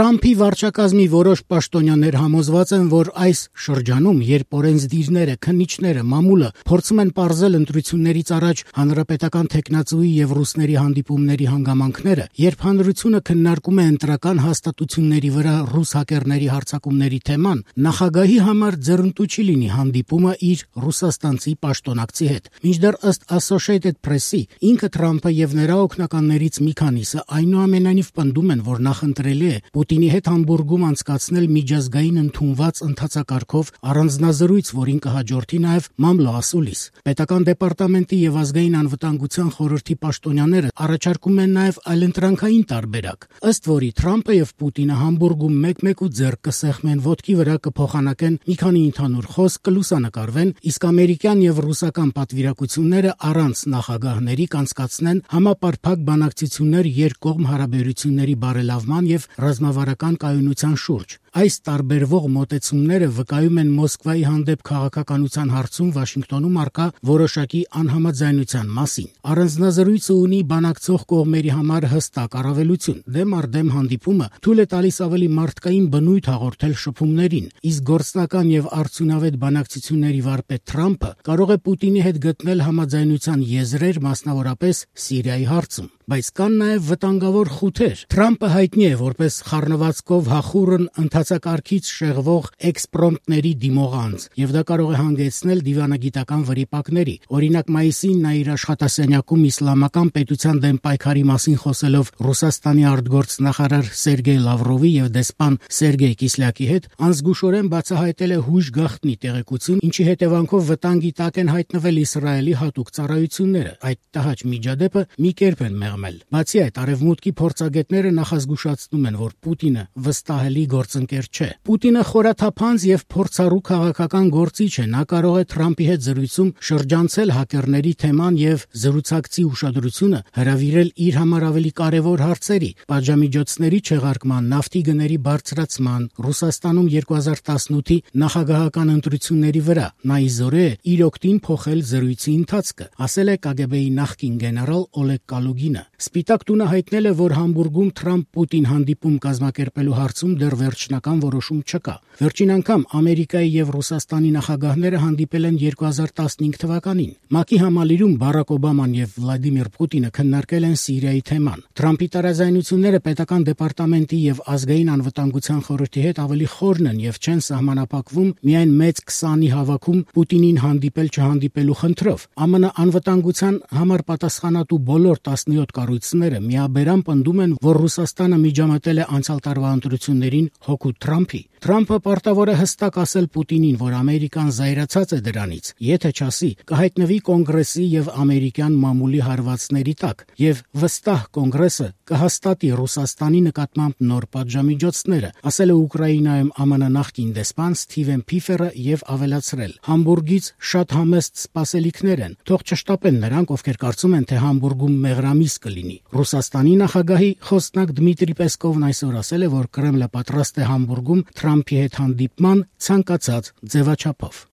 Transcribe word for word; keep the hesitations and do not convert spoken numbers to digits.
Թրամփի վարչակազմի որոշ պաշտոնյաներ համոզված են, որ այս շրջանում, երբ օրենսդիրները, քննիչները, մամուլը փորձում են պարզել ընտրություններից առաջ հանրապետական թեկնածուի եւ ռուսների հանդիպումների հանգամանքները, երբ հանրությունը քննարկում է ընտրական հաստատությունների վրա ռուս հակերների հարձակումների թեման, նախագահի համար ձեռնտու չի լինի հանդիպումը իր ռուսաստանցի պաշտոնակցի հետ։ Մինչդեռ ըստ Associated Press-ի, ինքը Թրամփը եւ նրա օգնականներից մի քանիսը այնուամենայնիվ պնդում են, որ նախընտրելի է Պուտինի հետ Համբուրգում անցկացնել միջազգային ընդունված ընթացակարգով առանձնազրույց, որին կհաջորդի նաև մամլո ասուլիս։ Պետական դեպարտամենտի եւ ազգային անվտանգության խորհրդի պաշտոնյաները առաջարկում են նաև այլընտրանքային տարբերակ, ըստ որի Թրամփը եւ Պուտինը Համբուրգում մեկ-մեկ ու ձեռք կսեղմեն, ոտքի վրա կփոխանակեն մի քանի ընդհանուր խոսք, կլուսանկարվեն, իսկ ամերիկյան եւ ռուսական պատվիրակությունները առանց նախագահների կանցկացնեն համապարփակ բանակցություններ երկկողմ հարաբերությունների բարելավման եւ ռազմավարական կայունության շուրջ։ Այս տարբերվող մոտեցումները վկայում են Մոսկվայի հանդեպ քաղաքականության հարցում Վաշինգտոնում առկա որոշակի անհամաձայնության մասին։ Առանձնազրույցը ունի բանակցող կողմերի համար հստակ առավելություն։ Դեմ առ դեմ հանդիպումը թույլ է տալիս ավելի մարդկային բնույթ հաղորդել շփումներին, իսկ գործնական եւ արդյունավետ բանակցությունների վարպետ Թրամփը կարող է Պուտինի հետ գտնել համաձայնության եզրեր, մասնավորապես Սիրիայի հարցում։ Բայց կան նաև վտանգավոր խութեր։ Թրամփը հայտնի է որպես խառնվածքով հախուռն ընթացակարգից շեղվող էքսպրոմպտների դիմողանձ, եւ դա կարող է հանգեցնել դիվանագիտական վրիպակների։ Օրինակ, մայիսին նա իր աշխատասենյակում իսլամական պետության դեմ պայքարի մասին խոսելով Ռուսաստանի արտգործնախարար Սերգեյ Լավրովի եւ դեսպան Սերգեյ Կիսլյակի հետ անզգուշորեն բացահայտել է հույժ գաղտնի տեղեկություն, ինչի հետևանքով վտանգի տակ են հայտնվել Իսրայելի հատուկ ծառայությունները։ Այդ տհաճ միջադեպը մի կերպ են մեղմել։ Բացի այդ, արևմուտքի փորձագետները նախազգուշացնում են, որ Պուտինը վստահելի գործընկեր չէ։ Պուտինը խորաթափանց եւ փորձառու քաղաքական գործիչ է։ Նա կարող է Թրամփի հետ զրույցում շրջանցել հակերների թեման եւ զրուցակցի ուշադրությունը հրավիրել իր համար ավելի կարեւոր հարցերի՝ պատժամիջոցների չեղարկման, նավթի գների բարձրացման, Ռուսաստանում երկու հազար տասնութի նախագահական ընտրությունների վրա։ Նա իզորե է իր օգտին փոխել զրույցի ընթացքը, ասել է ԿԳԲ-ի նախկին գեներալ Օլեգ Կալուգինը։ Սպիտակ տունը հայտնել է, որ Համբուրգում Թրամփ-Պուտին հանդիպում կազմակերպելու հարցում դեռ վերջնական որոշում չկա։ Վերջին անգամ Ամերիկայի եւ Ռուսաստանի նախագահները հանդիպել են երկու հազար տասնհինգ թվականին։ ՄԱԿ-ի համալիրում Բարակ Օբաման եւ Վլադիմիր Պուտինը քննարկել են Սիրիայի թեման։ Թրամփի տարաձայնությունները պետական դեպարտամենտի եւ ազգային անվտանգության խորհրդի հետ ավելի խորն են եւ չեն սահմանափակվում միայն մեծ քսանի հավաքում Պուտինին հանդիպել չհանդիպելու խնդրով։ ԱՄՆ անվտանգության համար պատասխանատու բոլոր տասնյոթ կառույցները միաբերան պնդում են, որ Ռուսաստանը միջամտել է անցյալ տարվա ընտրություններին հօգուտ Թրամփի։ Թրամփը պարտավոր է հստակ ասել Պուտինին, որ Ամերիկան զայրացած է դրանից, եթե չասի, կհայտնվի կոնգրեսի եւ ամերիկյան մամուլի հարվածների տակ, եւ վստահ կոնգրեսը կհաստատի Ռուսաստանի նկատմամբ նոր պատժամիջոցները, ասել է Ուկրաինայում ԱՄՆ նախկին դեսպան Սթիվեն Փիֆերը եւ ավելացրել. Համբուրգից շատ համեստ սպասելիքներ են, թող չշտապեն նրանք, ովքեր կարծում են, թե Համբուրգում մեղրամիս կլինի։ Ռուսաստանի նախագահի խոսնակ Դմիտրի Պեսկովն այսօր ասել է, որ Կրեմլը պատրաստ է Համբուրգում Թրամփի հետ հանդիպման ցանկացած ձևաչափով։